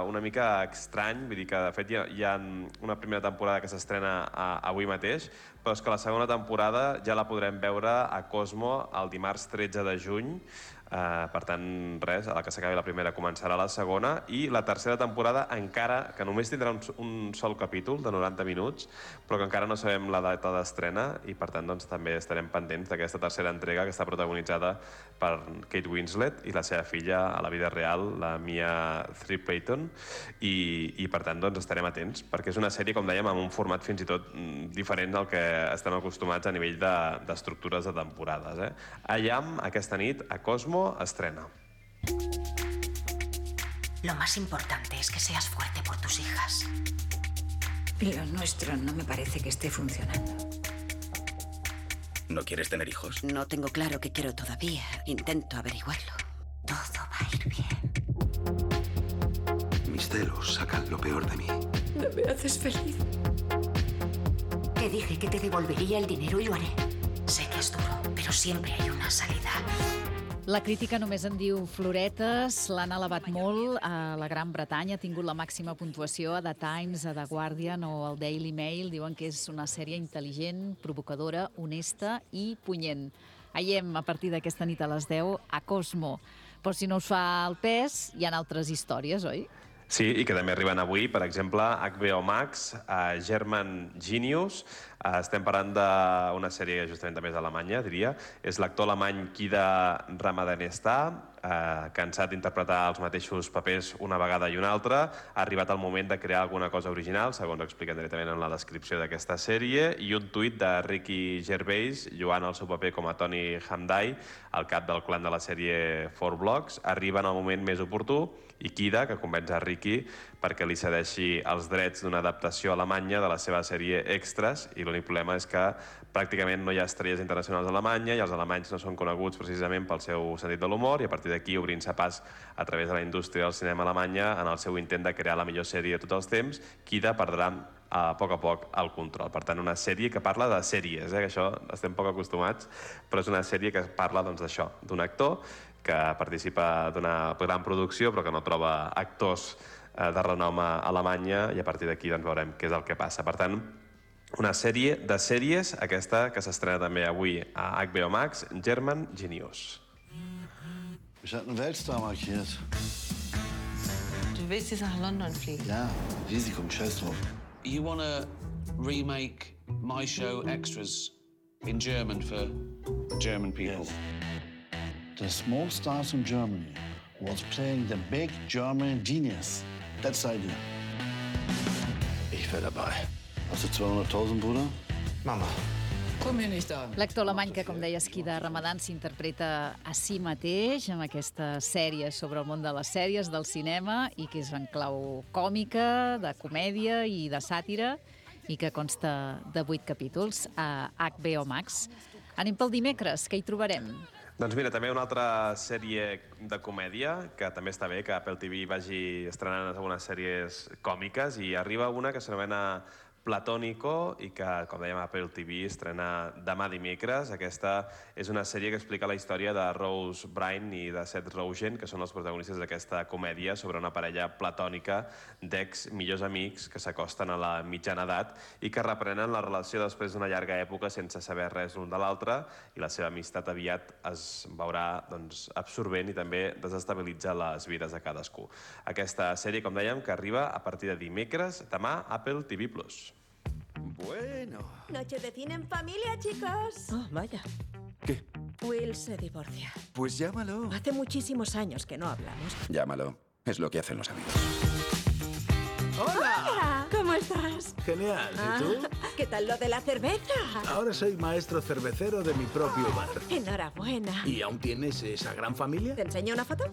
una mica estrany, vull dir que, de fet, hi ha una primera temporada que s'estrena avui mateix, però és que la segona temporada ja la podrem veure a Cosmo el dimarts 13 de juny. Per tant, res, a la que s'acabi la primera començarà la segona, i la tercera temporada encara, que només tindrà un sol capítol de 90 minuts, però que encara no sabem la data d'estrena, i per tant també estarem pendents d'aquesta tercera entrega, que està protagonitzada per Kate Winslet i la seva filla a la vida real, la Mia Threepayton, i per tant estarem atents, perquè és una sèrie, com dèiem, amb un format fins i tot diferent al que estem acostumats a nivell d'estructures de temporades. I Am, aquesta nit, a Cosmo, estrena. Lo más importante es que seas fuerte por tus hijas. Lo nuestro no me parece que esté funcionando. ¿No quieres tener hijos? No tengo claro qué quiero todavía. Intento averiguarlo. Todo va a ir bien. Mis celos sacan lo peor de mí. No me haces feliz. Te dije que te devolvería el dinero y lo haré. Sé que es duro, pero siempre hay una salida. La crítica només en diu floretes, l'han elevat molt. A la Gran Bretanya ha tingut la màxima puntuació a The Times, a The Guardian o al Daily Mail. Diuen que és una sèrie intel·ligent, provocadora, honesta i punyent. Aiem a partir d'aquesta nit a les 10 a Cosmo. Però si no us fa el pes, hi ha altres històries, oi? Sí, i que també arriben avui, per exemple, HBO Max, German Genius. Estem parlant d'una sèrie que justament també és alemanya, diria. És l'actor alemany Kida Ramadanestà, cansat d'interpretar els mateixos papers una vegada i una altra. Ha arribat el moment de crear alguna cosa original, segons expliquen directament en la descripció d'aquesta sèrie, i un tuit de Ricky Gervais, lloant el seu paper com a Tony Hamday, el cap del clan de la sèrie 4 Blocks. Arriba en el moment més oportú, i Kida, que convenç a Ricky perquè li cedeixi els drets d'una adaptació alemanya de la seva sèrie Extras, i l'únic problema és que pràcticament no hi ha estrelles internacionals a Alemanya i els alemanys no són coneguts precisament pel seu sentit de l'humor, i a partir d'aquí, obrint-se pas a través de la indústria del cinema alemanya en el seu intent de crear la millor sèrie de tots els temps, Kida perdrà a poc el control. Per tant, una sèrie que parla de sèries, que això estem poc acostumats, però és una sèrie que parla d'això, d'un actor que participa d'una gran producció però que no troba actors de renom a Alemanya, i a partir d'aquí veurem què és el que passa. Per tant, una sèrie de sèries, aquesta que s'estrena també avui a HBO Max, German Genius. Ich hatte einen Weltstar markiert. Du willst jetzt nach London fliegen? Ja, Risiko, scheiß drauf. You want to remake my show Extras In German, for German people. Yes. The small stars from Germany was playing the big German genius. That's the idea. Ich wäre dabei. Hast du 200.000, Bruder? Mama. L'actor alemany que, com deies, Kida Ramadan s'interpreta a si mateix amb aquesta sèrie sobre el món de les sèries, del cinema, i que és en clau còmica, de comèdia i de sàtira, i que consta de 8 capítols a HBO Max. Anem pel dimecres, què hi trobarem? Doncs mira, també una altra sèrie de comèdia, que també està bé que Apple TV vagi estrenant algunes sèries còmiques, i arriba una que s'anomena Platónico i que, com dèiem, Apple TV estrena demà dimecres. Aquesta és una sèrie que explica la història de Rose Byrne i de Seth Rogen, que són els protagonistes d'aquesta comèdia sobre una parella platònica d'ex millors amics que s'acosten a la mitjana edat i que reprenen la relació després d'una llarga època sense saber res l'un de l'altre, i la seva amistat aviat es veurà absorbent i també desestabilitza les vides de cadascú. Aquesta sèrie, com dèiem, que arriba a partir de dimecres, demà, Apple TV+. Bueno. Noche de cine en familia, chicos. Oh, vaya. ¿Qué? Will se divorcia. Pues llámalo. Hace muchísimos años que no hablamos. Llámalo. Es lo que hacen los amigos. ¡Hola! Hola. ¿Cómo estás? Genial. ¿Y tú? ¿Qué tal lo de la cerveza? Ahora soy maestro cervecero de mi propio bar. Enhorabuena. ¿Y aún tienes esa gran familia? ¿Te enseño una foto?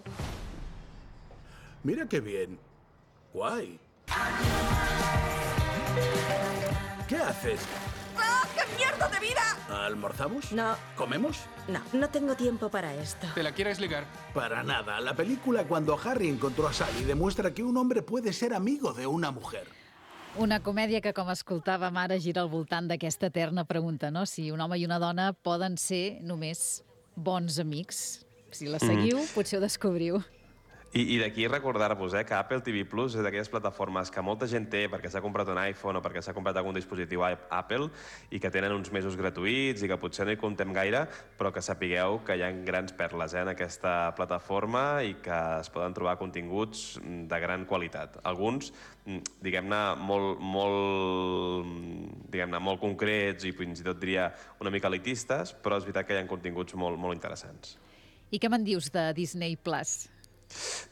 Mira qué bien. Guay. ¿Qué haces? ¡Ah, qué mierda de vida! ¿Almorzamos? No. ¿Comemos? No tengo tiempo para esto. ¿Te la quieres ligar? Para nada. La película Cuando Harry encontró a Sally demuestra que un hombre puede ser amigo de una mujer. Una comèdia que, com escoltàvem ara, gira al voltant d'aquesta eterna pregunta, no? Si un home i una dona poden ser només bons amics. Si la seguiu, potser ho descobriu. I d'aquí recordar-vos que Apple TV Plus és d'aquelles plataformes que molta gent té perquè s'ha comprat un iPhone o perquè s'ha comprat algun dispositiu Apple i que tenen uns mesos gratuïts i que potser no hi comptem gaire, però que sapigueu que hi ha grans perles en aquesta plataforma i que es poden trobar continguts de gran qualitat. Alguns, diguem-ne, molt concrets i fins i tot diria una mica elitistes, però és veritat que hi ha continguts molt interessants. I què me'n dius de Disney Plus?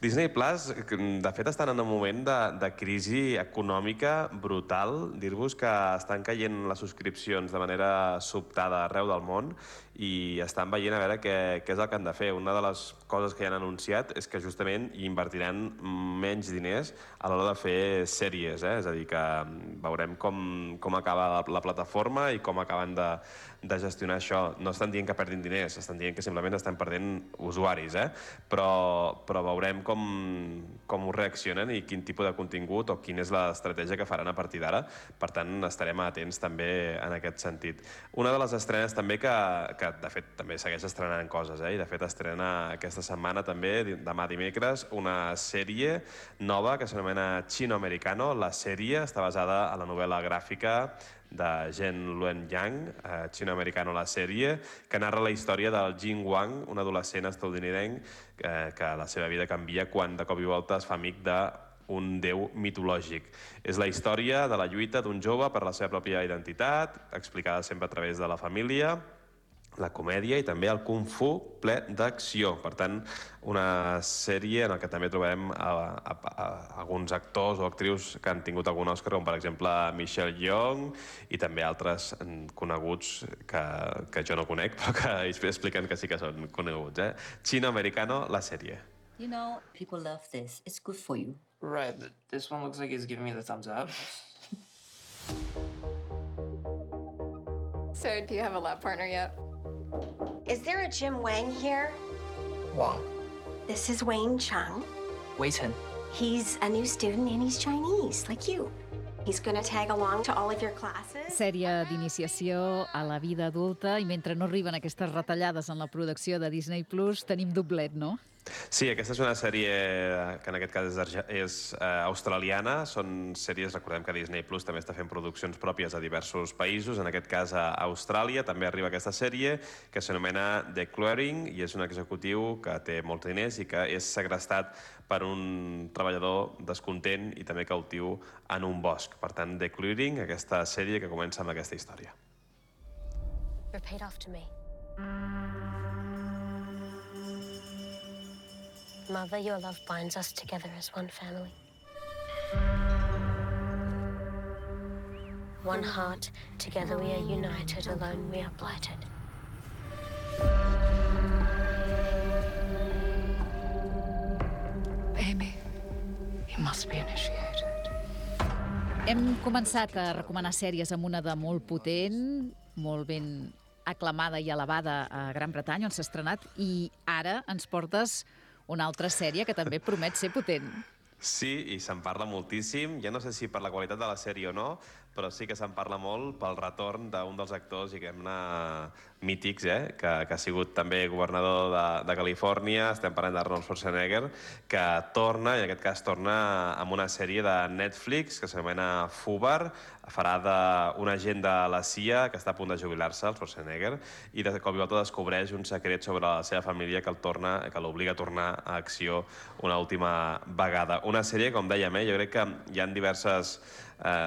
Disney Plus, de fet, estan en un moment de crisi econòmica brutal. Dir-vos que estan caient les subscripcions de manera sobtada arreu del món i estan veient a veure què és el que han de fer. Una de les coses que ja han anunciat és que justament hi invertiran menys diners a l'hora de fer sèries. És a dir, que veurem com acaba la plataforma i com acaben de gestionar això. No estan dient que perdin diners, estan dient que simplement estan perdent usuaris, però veurem com ho reaccionen i quin tipus de contingut o quina és l'estratègia que faran a partir d'ara. Per tant, estarem atents també en aquest sentit. Una de les estrenes també que de fet també segueix estrenant coses, i de fet estrena aquesta setmana també, demà dimecres, una sèrie nova que s'anomena Chino Americano. La sèrie està basada en la novel·la gràfica de Zhen Luen Yang, Chino Americano, la sèrie, que narra la història del Jing Wang, un adolescent estatunidenc que la seva vida canvia quan de cop i volta es fa amic d'un déu mitològic. És la història de la lluita d'un jove per la seva pròpia identitat, explicada sempre a través de la família, la comèdia i també el kung fu ple d'acció. Per tant, una sèrie en què també trobem alguns actors o actrius que han tingut algun Òscar, com per exemple Michelle Yeoh i també altres coneguts que jo no conec, però que expliquen que sí que són coneguts. Chino Americano, la sèrie. You know, people love this. It's good for you. Right, but this one looks like it's giving me the thumbs up. So, do you have a lab partner yet? Is there a Jim Wang here? Wang. This is Wayne Chung. Wei Chen. He's a new student and he's Chinese, like you. He's going to tag along to all of your classes. Sèrie d'iniciació a la vida adulta i mentre no arriben aquestes retallades en la producció de Disney Plus, tenim doblet, no? Sí, aquesta és una sèrie que en aquest cas és australiana. Són sèries, recordem que Disney Plus també està fent produccions pròpies a diversos països, en aquest cas a Austràlia. També arriba aquesta sèrie que s'anomena The Clearing i és un executiu que té molts diners i que és segrestat per un treballador descontent i també cautiu en un bosc. Per tant, The Clearing, aquesta sèrie que comença amb aquesta història. Repeat after me. Mother, your love binds us together as one family. One heart, together we are united, alone we are blighted. Amy, you must be initiated. Hem començat a recomanar sèries amb una de molt potent, molt ben aclamada i elevada a Gran Bretanya, on s'ha estrenat, i ara ens portes una altra sèrie que també promet ser potent. Sí, i se'n parla moltíssim. Ja no sé si per la qualitat de la sèrie o no, però sí que se'n parla molt pel retorn d'un dels actors, diguem-ne, mítics, que ha sigut també governador de Califòrnia. Estem parlant d'Arnold Schwarzenegger, que torna, i en aquest cas torna amb una sèrie de Netflix que s'anomena Fubar. Farà d'un agent de la CIA que està a punt de jubilar-se, el Schwarzenegger, i de cop i volta descobreix un secret sobre la seva família que l'obliga a tornar a acció una última vegada. Una sèrie, com dèiem, jo crec que hi ha diverses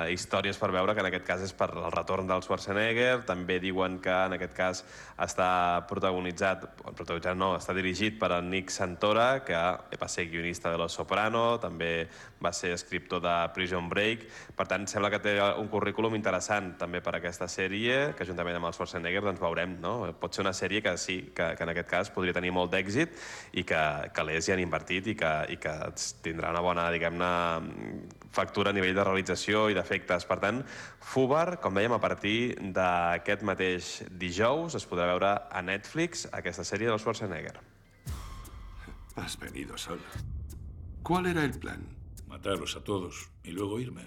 històries per veure, que en aquest cas és per el retorn del Schwarzenegger. També diuen que en aquest cas està està dirigit per en Nick Santora, que va ser guionista de Los Soprano, també va ser escriptor de Prison Break. Per tant, sembla que té un currículum interessant també per aquesta sèrie, que juntament amb el Schwarzenegger doncs veurem, no? Pot ser una sèrie que sí, que en aquest cas podria tenir molt d'èxit i que l'ES hi han invertit i que tindrà una bona, diguem-ne, factura a nivell de realització i d'efectes. Per tant, Fubar, com dèiem, a partir d'aquest mateix dijous es podrà veure a Netflix aquesta sèrie del Schwarzenegger. Has venido solo. ¿Cuál era el plan? Matarlos a todos y luego irme.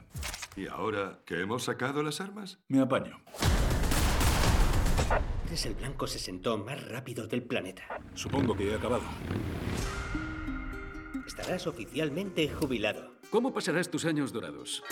¿Y ahora que hemos sacado las armas? Me apaño. Eres el blanco 60 más rápido del planeta. Supongo que he acabado. Estarás oficialmente jubilado. ¿Cómo pasarás tus años dorados?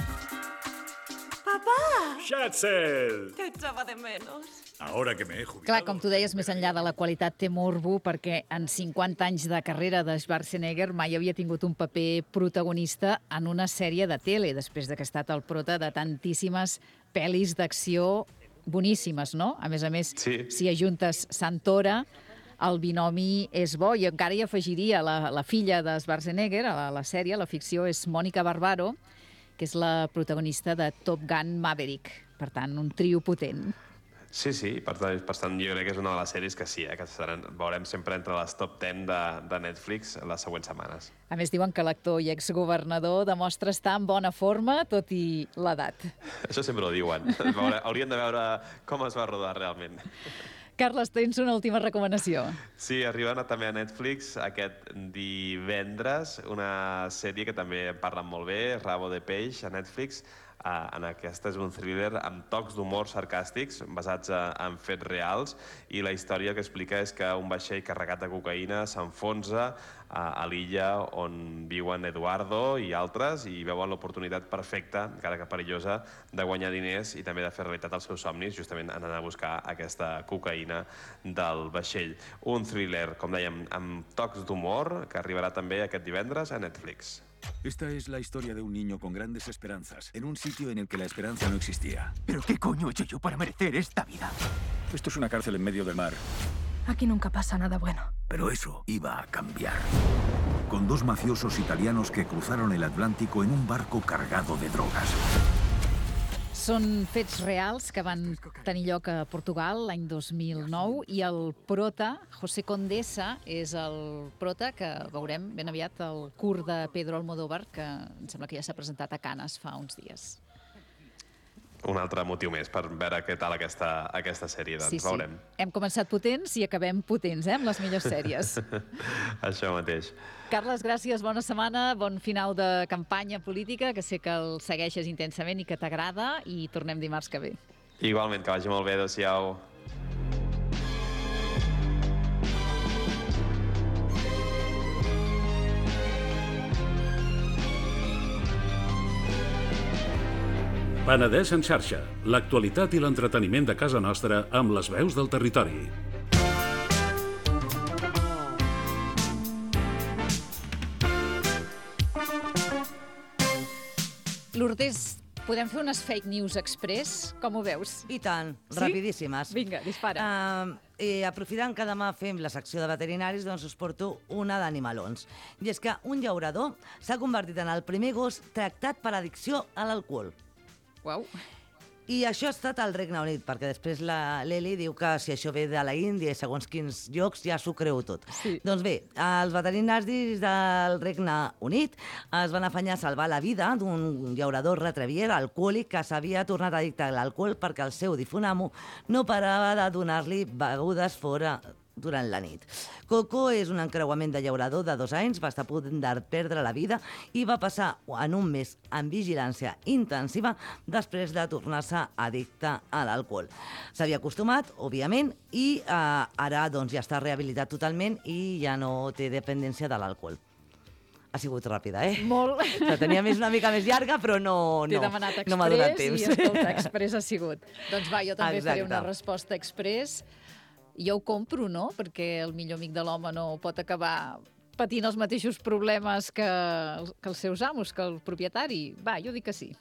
Papà! Schatzel! Te echaba de menos. Ahora que me he jubilado... Clar, com tu deies, més enllà de la qualitat té morbo, perquè en 50 anys de carrera de Schwarzenegger mai havia tingut un paper protagonista en una sèrie de tele, després de que ha estat el prota de tantíssimes pel·lis d'acció boníssimes, no? A més, sí. Si ajuntes Santora, el binomi és bo, i encara hi afegiria la filla de Schwarzenegger a la sèrie, la ficció, és Mònica Barbaro, que és la protagonista de Top Gun Maverick. Per tant, un trio potent. Sí, per tant, jo crec que és una de les sèries que sí, que veurem sempre entre les top 10 de Netflix les següents setmanes. A més, diuen que l'actor i exgovernador demostra estar en bona forma, tot i l'edat. Això sempre ho diuen. Haurien de veure com es va rodar realment. Carles, tens una última recomanació. Sí, arriba també a Netflix aquest divendres una sèrie que també parlen molt bé, Rabo de Peix, a Netflix. En aquesta és un thriller amb tocs d'humor sarcàstics basats en fets reals, i la història que explica és que un vaixell carregat de cocaïna s'enfonsa a l'illa on viuen Eduardo i altres, i veuen l'oportunitat perfecta, encara que perillosa, de guanyar diners i també de fer realitat els seus somnis, justament anant a buscar aquesta cocaïna del vaixell. Un thriller, com dèiem, amb tocs d'humor, que arribarà també aquest divendres a Netflix. Esta es la historia de un niño con grandes esperanzas, en un sitio en el que la esperanza no existía. ¿Pero qué coño he hecho yo para merecer esta vida? Esto es una cárcel en medio del mar. Aquí nunca pasa nada bueno. Pero eso iba a cambiar. Con dos mafiosos italianos que cruzaron el Atlántico en un barco cargado de drogas. Són fets reals que van tenir lloc a Portugal l'any 2009, i el prota, José Condesa, és el prota que veurem ben aviat al curt de Pedro Almodóvar, que em sembla que ja s'ha presentat a Cannes fa uns dies. Un altre motiu més per veure què tal aquesta sèrie, doncs veurem. Hem començat potents i acabem potents, amb les millors sèries. Això mateix. Carles, gràcies, bona setmana, bon final de campanya política, que sé que el segueixes intensament i que t'agrada, i tornem dimarts que ve. Igualment, que vagi molt bé, adéu-siau. Penedès en xarxa, l'actualitat i l'entreteniment de casa nostra amb les veus del territori. Lourdes Podem fer unes fake news express? Com ho veus? I tant, Sí? rapidíssimes. Vinga, dispara. Aprofitant que demà fem la secció de veterinaris, doncs us porto una d'animalons. I és que un llaurador s'ha convertit en el primer gos tractat per addicció a l'alcohol. Uau. I això ha estat al Regne Unit, perquè després la Leli diu que si això ve de la Índia i segons quins llocs ja s'ho creu tot. Sí. Doncs bé, els veterinaris del Regne Unit es van afanyar a salvar la vida d'un llaurador retriever alcohòlic que s'havia tornat addicte a l'alcohol perquè el seu difunt amo no parava de donar-li begudes fora durant la nit. Coco és un encreuament de llaurador de 2 anys, va estar a punt de perdre la vida i va passar en un mes en vigilància intensiva després de tornar-se addicte a l'alcohol. S'havia acostumat, òbviament, i ara doncs, ja està rehabilitat totalment i ja no té dependència de l'alcohol. Ha sigut ràpida, Molt. La tenia una mica més llarga, però no T'he demanat express m'ha donat temps. i escolta, express ha sigut. Doncs va, jo també faré Exacte. una resposta express. Jo ho compro, no? Perquè el millor amic de l'home no pot acabar patint els mateixos problemes que els seus amos, que el propietari. Va, jo dic que sí.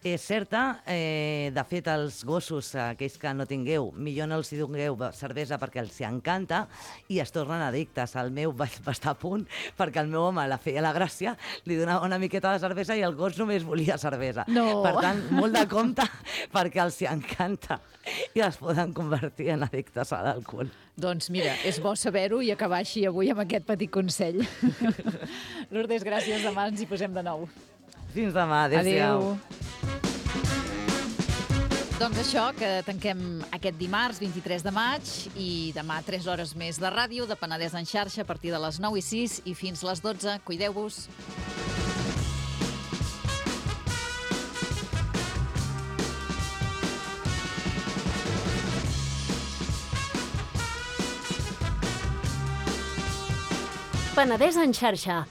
És certa, de fet, els gossos, aquells que no tingueu, millor no els hi dongueu cervesa perquè els encanta i es tornen addictes. El meu va estar a punt perquè el meu home la feia la gràcia, li donava una miqueta de cervesa i el gos només volia cervesa. No. Per tant, molt de compte perquè els encanta i es poden convertir en addictes a l'alcohol. Doncs mira, és bo saber-ho i acabar així avui amb aquest petit consell. Lourdes, gràcies. Demà ens hi posem de nou. Fins demà. Adéu-siau. Doncs això, que tanquem aquest dimarts, 23 de maig, i demà 3 hores més de ràdio, de Penedès en xarxa, a partir de les 9:06 i fins les 12. Cuideu-vos. Penedès en xarxa,